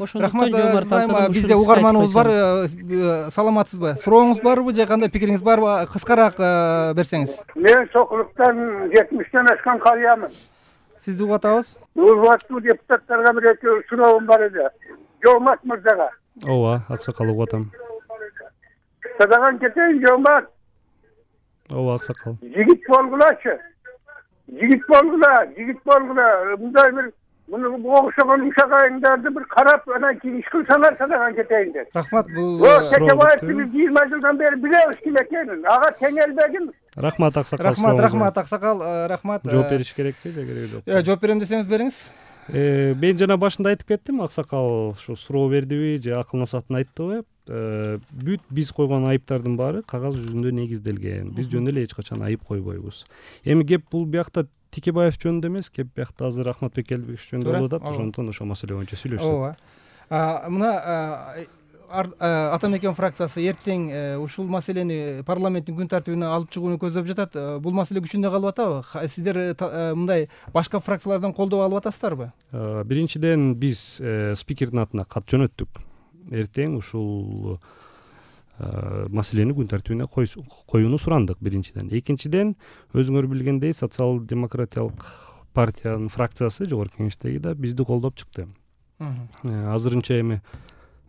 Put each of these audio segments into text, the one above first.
Ошондуктан рахмат. Бизде угарманыбыз бар. Саламатсызбы? Сурооңуз барбы же кандай пикириңиз барбы? Кыскараак берсеңиз. Мен Сокулуктан 70-тен ашкан карыямын. Сизди угуп атабыз. Урматтуу депутаттарга бир экөө суроом бар эди. Жомарт мырзага. Ооба, аксакал угуп атам. Садаган кетейин, Жомарт. Ооба, аксакал. Жигит болгулачы. Жигит болгула. Мындай бир муну окшогон ушак айыңдарды бир карап, анан кийин иш кылсаңар садаган кетейин деп. Рахмат. Бул Текебаевди биз 20 жылдан бери билебиз ким экенин. Ага теңелбегин. Рахмат, аксакал. Рахмат, аксакал. Рахмат. Жооп бериш керекпи же кереги жок? Жооп берем десеңиз бериңиз. Мен жана башында айтып кеттим, аксакал ушу суроо бердиби же акыл насаатын айттыбы? Бүт биз койгон айыптардын баары кагаз жүзүндө негизделген. Биз жөн эле эч качан айып койбойбуз. Эми кеп бул биякта Текебаев жөнүндө эмес, кеп биякта азыр Ахматбек Келдибекович жөнүндө болуп атат. Ошондуктан ошол маселе боюнча сүйлөшсөк. Ооба. Мына Ата Мекен фракциясы эртең ушул маселени парламенттин күн тартибине алып чыгууну көздөп жатат. Бул маселе күчүндө калып атабы? Сиздер мындай башка фракциялардан колдоо алып атасыздарбы? Биринчиден биз спикердин атына кат жөнөттүк. Эртең ушул маселени күн тартибине коюуну сурандык биринчиден. Экинчиден, өзүңөр билгендей, социал-демократиялык партиянын фракциясы жогорку кеңештеги да бизди колдоп чыкты. Азырынча эми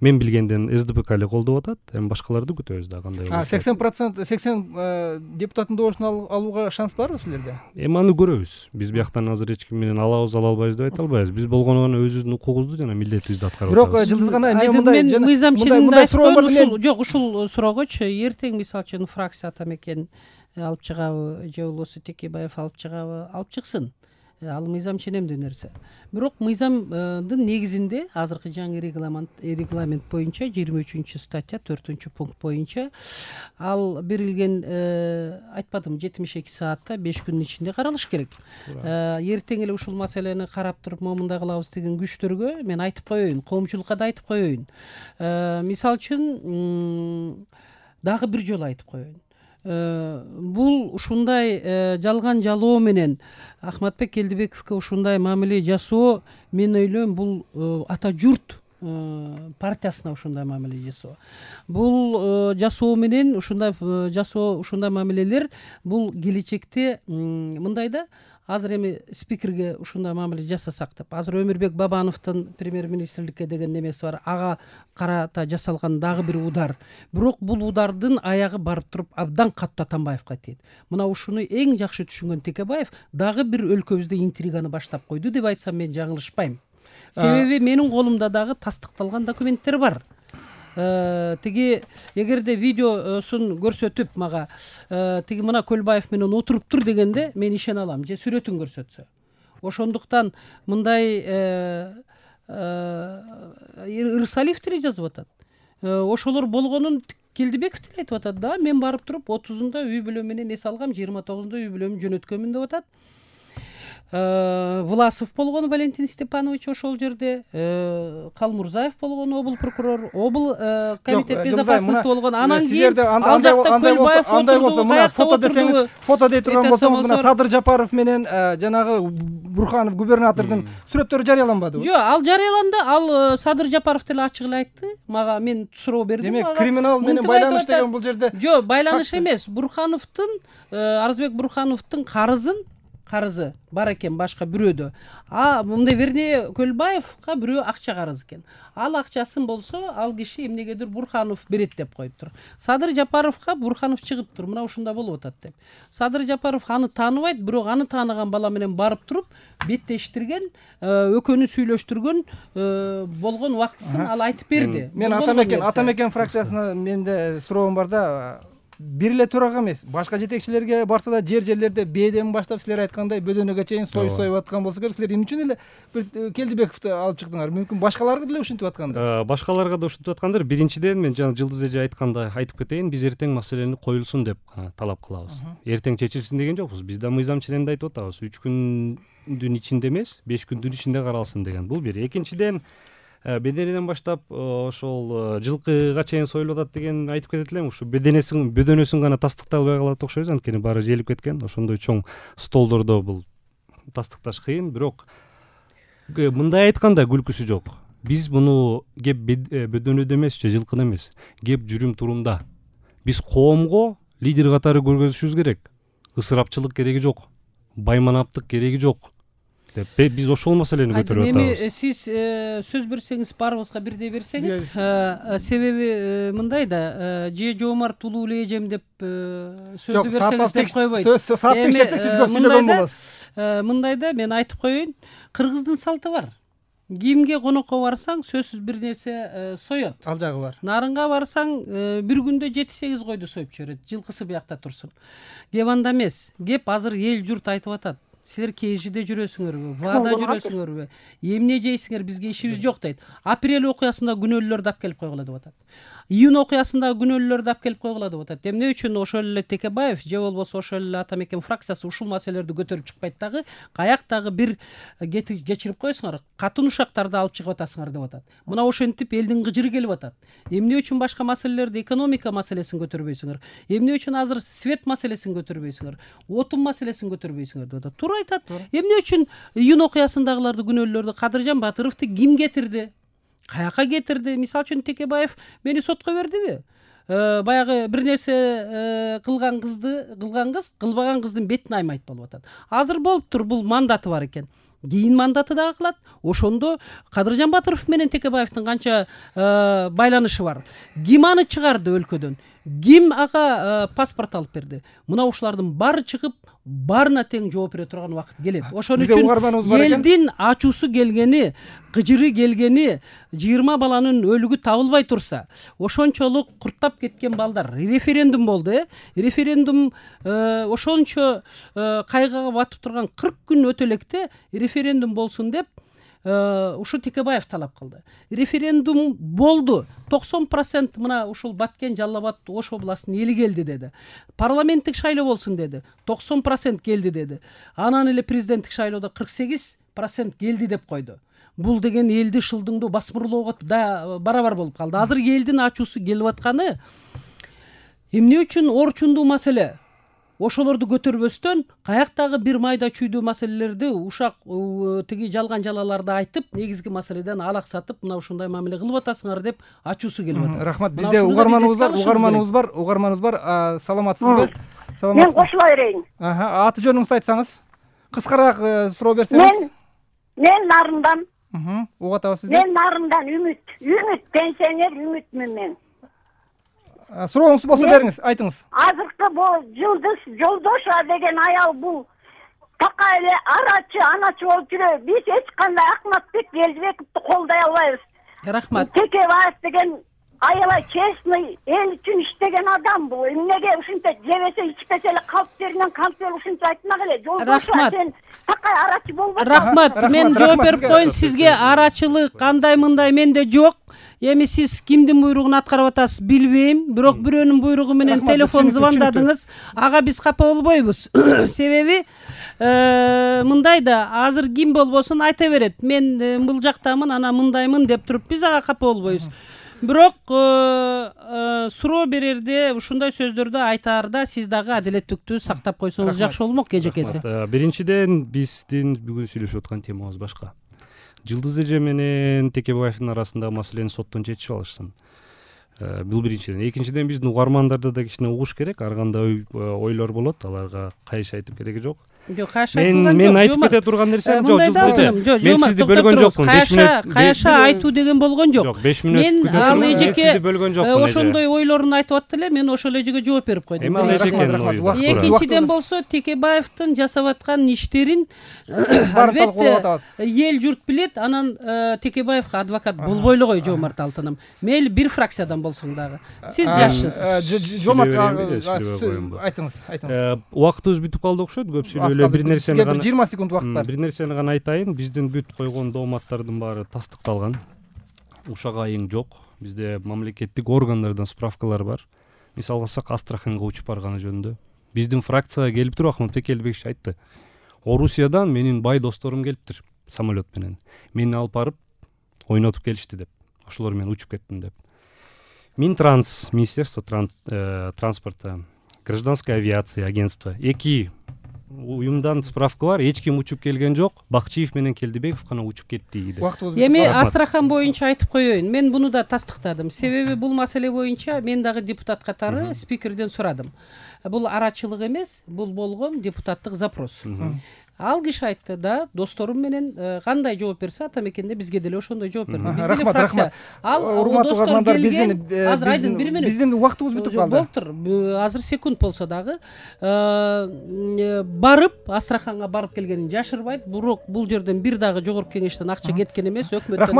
мен билгенден СДПК эле колдоп атат, эми башкаларды күтөбүз да кандай болот. 80% депутаттын добушун алууга шанс барбы силерде? Эми аны көрөбүз. Биз бияктан азыр эч ким менен алабыз, ала албайбыз деп айта албайбыз. Биз болгону гана өзүбүздүн укугубузду жана милдетибизди аткарып атабыз. Бирок Жылдыз гана мен мыйзам ченеминде айткан жок, ушул суроогочу эртең мисалы үчүн фракция Ата Мекен алып чыгабы же болбосо Текебаев алып чыгабы, алып чыксын. Ал мыйзам ченемдүү нерсе. Бирок мыйзамдын негизинде азыркы жаңы регламент боюнча 23-статья 4-пункт боюнча ал берилген айтпадым 72 саатта 5 күндүн ичинде каралыш керек. Эртең эле ушул маселени карап туруп момундай кылабыз деген күчтөргө мен айтып коеюн, коомчулукка да айтып коеюн. Мисалы үчүн дагы бир жолу айтып коеюн. Бул ушундай жалган жалоо менен Ахматбек Келдибековго ушундай мамиле жасоо, мен ойлойм, бул ата журт партиясына ушундай мамиле жасоо. Бул жасоо менен ушундай мамилелер бул келечекте мындай да, азыр эми спикерге ушундай мамиле жасасак деп. Азыр Өмүрбек Бабановдун премьер-министрликке деген немеси бар. Ага карата жасалган дагы бир удар. Бирок бул удардын аягы барып туруп абдан катуу Атамбаевга тийет. Мына ушуну эң жакшы түшүнгөн Текебаев дагы бир өлкөбүздө интриганы баштап койду деп айтсам мен жаңылышпайм. Себеби менин колумда дагы тастыкталган документтер бар. Тиги эгерде видеосун көрсөтүп мага тиги мына Көлбаев менен отуруптур дегенде мен ишене алам, же сүрөтүн көрсөтсө. Ошондуктан мындай Ырысалиев деле жазып атат. Ошолор болгонун Келдибеков деле айтып атат да, мен барып туруп 30-унда үй бүлө менен эс алгам, 29-унда үй бүлөмүн жөнөткөмүн деп атат. Власов болгон Валентин Степанович ошол жерде, Калмурзаев болгон обул прокурор, обул комитет безопасности болгон. Анан кийин ал жакта Көлбаев андай болсо, мына фото десеңиз, фото дей турган болсоңуз, мына Садыр Жапаров менен жанагы Бурханов губернатордун сүрөттөрү жарыяланбадыбы? Жок, ал жарыяланды. Ал Садыр Жапаров деле ачык эле айтты. Мага мен суроо бердим. Демек, криминал менен байланыш деген бул жерде. Жок, байланыш эмес. Бурхановдун, Арызбек Бурхановдун карызы бар экен башка бирөөдө. Мындай вернее Көлбаевга бирөө акча карыз экен. Ал акчасын болсо, ал киши эмнегедир Бурханов берет деп коюптур. Садыр Жапаровга Бурханов чыгыптыр, мына ушунда болуп атат деп. Садыр Жапаров аны тааныбайт, бирок аны тааныган бала менен барып туруп беттештирген, өкөнү сүйлөштүргөн болгон убактысын ал айтып берди. Мен Ата Мекен фракциясына менде суроом бар да. Бир эле төрага эмес, башка жетекчилерге барса да жерлерде бээден баштап силер айткандай бөдөнөгө чейин союп аткан болсо керек. Силер эмне үчүн эле бир Келдибековду алып чыктыңар? Мүмкүн башкаларга деле ушинтип аткандыр. Башкаларга да ушинтип аткандыр. Биринчиден мен жана Жылдыз эже айткандай айтып кетейин, биз эртең маселени коюлсун деп талап кылабыз. Эртең чечилсин деген жокпуз. Биз да мыйзам ченемде айтып атабыз. 3 күндүн ичинде эмес, 5 күндүн ичинде каралсын деген. Бул бир. Экинчиден, беденеден баштап ошол жылкыга чейин союлуп атат деген айтып кетет элем. Ушу бөдөнөсүн гана тастыктай албай калат окшойбуз, анткени баары желип кеткен. Ошондой чоң столдордо бул тастыкташ кыйын, бирок мындай айтканда күлкүсү жок. Биз муну кеп бөдөнөдө эмес же жылкыда эмес, кеп жүрүм турумда биз коомго лидер катары көргөзүшүбүз керек. Ысырапчылык кереги жок, байманаптык кереги жок деп биз ошол маселени көтөрүп атабыз. Эми сиз сөз берсеңиз баарыбызга бирдей берсеңиз, себеби мындай да, же Жоомарт улуу эле эжем деп сөздү берсеңиз деп койбойт. Саат текшерсе сиз көп сүйлөгөн болосуз. Мындай да, мен айтып коеюн, кыргыздын салты бар. Кимге конокко барсаң, сөзсүз бир нерсе соет. Ал жагы бар. Нарынга барсаң, бир күндө 7-8 койду союп жиберет, жылкысы биякта турсун. Кеп анда эмес. Кеп азыр эл журт айтып атат. Силер КЖде жүрөсүңөрбү, ВАда жүрөсүңөрбү, эмне жейсиңер, бизге ишибиз жок дейт. Апрель окуясында күнөөлөрдү алып келип койгула деп атат. Июнь окуясында күнөөлөрдү алып келип койгула деп атат. Эмне үчүн ошол эле Текебаев же болбосо ошол эле ата мекен фракциясы ушул маселелерди көтөрүп чыкпайт дагы, каяктагы бир кечирип коесуңар, катын ушактарды алып чыгып атасыңар деп атат. Мына ошентип элдин кыжыры келип атат. Эмне үчүн башка маселелерди, экономика маселесин көтөрбөйсүңөр? Эмне үчүн азыр свет маселесин көтөрбөйсүңөр? Отун маселесин көтөрбөйсүңөр деп атат. Туура айтат. Эмне үчүн июнь окуясындагыларды күнөөлөрдү Кадыржан Батыровду ким кетирди? Каяка кетирди? Мисалы үчүн Текебаев мени сотко бердиби? Баягы бир нерсе кылган кыз кылбаган кыздын бетин аймайт болуп атат. Азыр болуптур, бул мандаты бар экен. Кийин мандаты дагы кылат. Ошондо Кадыржан Батыров менен Текебаевдин канча байланышы бар? Ким аны чыгарды өлкөдөн? Ким ага паспорт алып берди? Мына ушулардын баары чыгып, баарына тең жооп бере турган убакыт келет. Ошон үчүн элдин ачуусу келгени, кыжыры келгени, 20 баланын өлүгү табылбай турса, ошончолук курттап кеткен балдар, референдум болду, референдум ошончо кайгыга батып турган 40 күн өтө электе референдум болсун деп ушу Текебаев талап кылды. Референдум болду. 90% мына ушул Баткен, Жалал Абад, Ош областынын эли келди деди. Парламенттик шайлоо болсун деди. 90% келди деди. Анан эле президенттик шайлоодо 48% келди деп койду. Бул деген элди шылдыңдоо, басмырлоого да барабар болуп калды. Азыр элдин ачуусу келип атканы эмне үчүн орчундуу маселе? Ошолорду көтөрбөстөн каяктагы бир майда чүйдүү маселелерди ушак тиги жалган жалаларды айтып, негизги маселеден алаксатып, мына ушундай мамиле кылып атасыңар деп ачуусу келип атат. Рахмат. Бизде угарманыбыз бар. Саламатсызбы? Мен кошула берейин. Аты жөнүңүздү айтсаңыз, кыскараак суроо берсеңиз. Мен Нарындан. Угуп атабыз сизди. Мен Нарындан Үмүт пенсионер Үмүтмүн мен. Сурооңузду болсо бериңиз, айтыңыз. Азыркы бул Жылдыз Жолдошова деген аял бул така эле аначы болуп жүрөбү. Биз эч кандай Акматбек Элжибековду колдой албайбыз. Рахмат. Текебаев деген аябай честный, эл үчүн иштеген адам бул. Эмнеге ушинте жебесе ичпесе эле калптеринен калпер ушинте айтмак эле. Жолдошова сен така арачы болбойсуң. Рахмат. Мен жооп берип коеюн сизге. Арачылык кандай мындай менде жок. Эми сиз кимдин буйругун аткарып атасыз билбейм, бирок бирөөнүн буйругу менен телефон звондадыңыз. Ага биз капа болбойбуз. Себеби мындай да, азыр ким болбосун айта берет. Мен бул жактамын, ана мындаймын деп туруп биз ага капа болбойбуз. Бирок суроо берерде, ушундай сөздөрдү айтаарда сиз дагы адилеттүүлүктү сактап койсоңуз жакшы болмок, эжекеси. Биринчиден биздин бүгүн сүйлөшүп аткан темабыз башка. Жылдыз эже менен Текебаевдин арасындагы маселени соттон чечип алышсын. Бул биринчиден. Экинчиден биздин угармандарды да кичине угуш керек. Ар кандай ойлор болот, аларга кайшы айтып кереги жок. Жок, кайшы айтылган жок. Мен айтып кете турган нерсем жок, Жылдыз эже. Мен сизди бөлгөн жокмун. 5 мүнөт кайша айтуу деген болгон жок. Жок, 5 мүнөт күтө турган. Мен сизди бөлгөн жокмун. Ошондой ойлорун айтып атты эле, мен ошол эжеге жооп берип койдум. Эми ал эжекенин ою. Экинчиден болсо Текебаевдин жасап аткан иштерин албетте эл журт билет. Анан Текебаевга адвокат болбой эле кой, Жоомарт Алтыным. Мейли бир фракциядан болсоң дагы. Сиз жашсыз. Жоомарт айтыңыз. Убактыбыз бүтүп калды окшойт. Көп сүйлөп бир нерсени гана 20 секунд убакыт бар. Бир нерсени гана айтайын. Биздин бүт койгон дооматтардын баары тастыкталган. Ушак айың жок. Бизде мамлекеттик органдардан справкалар бар. Мисалы алсак, Астраханга учуп барганы жөнүндө. Биздин фракцияга келип туруп Ахматбек Элбекович айтты. Орусиядан менин бай досторум келиптир самолет менен. Мени алып барып ойнотуп келишти деп. Ошолор менен учуп кеттим деп. Минтранс, Министерство транспорта, Гражданская авиация агентство 2 уюмдан справка бар, эч ким учуп келген жок, Бакчиев менен Келдибеков гана учуп кетти деп. Эми Астрахан боюнча айтып коеюн, мен буну да тастыктадым. Себеби бул маселе боюнча мен дагы депутат катары спикерден сурадым. Бул арачылык эмес, бул болгон депутаттык запрос. Ал киши айтты да, досторум менен кандай жооп берсе ата мекенде бизге деле ошондой жооп берди. Рахмат, рахмат. Ал достор келген, азыр айдын 1 мүнөт. Биздин убактыбыз бүтүп калды. Болуптур. Азыр секунд болсо дагы барып, Астраханга барып келгенин жашырбайт. Бирок бул жерден бир дагы жогорку кеңештен акча кеткен эмес, өкмөттөн